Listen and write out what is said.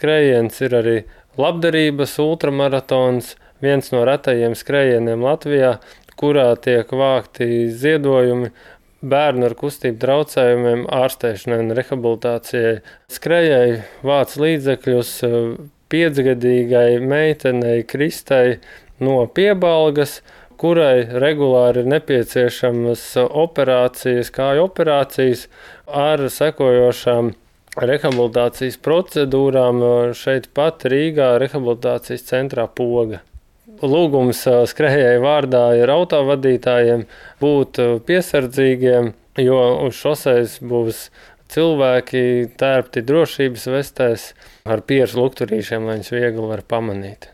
skrējiens ir arī labdarības ultramaratons, viens no retajiem skrējieniem Latvijā, kurā tiek vākti ziedojumi bērnu ar kustību traucējumiem ārstēšanai un rehabilitācijai. Skrējēji vāc līdzekļus 5-gadīgai meitenei Kristai no Piebalgas, kurai regulāri ir nepieciešamas operācijas, kāju operācijas ar sekojošām rehabilitācijas procedūrām šeit pat Rīgā rehabilitācijas centrā Poga. Lūgums skrējēju vārdā ir autovadītājiem būt piesardzīgiem, jo uz šoseis būs cilvēki tērpti drošības vestēs ar pieres lukturīšiem, lai viņus viegli var pamanīt.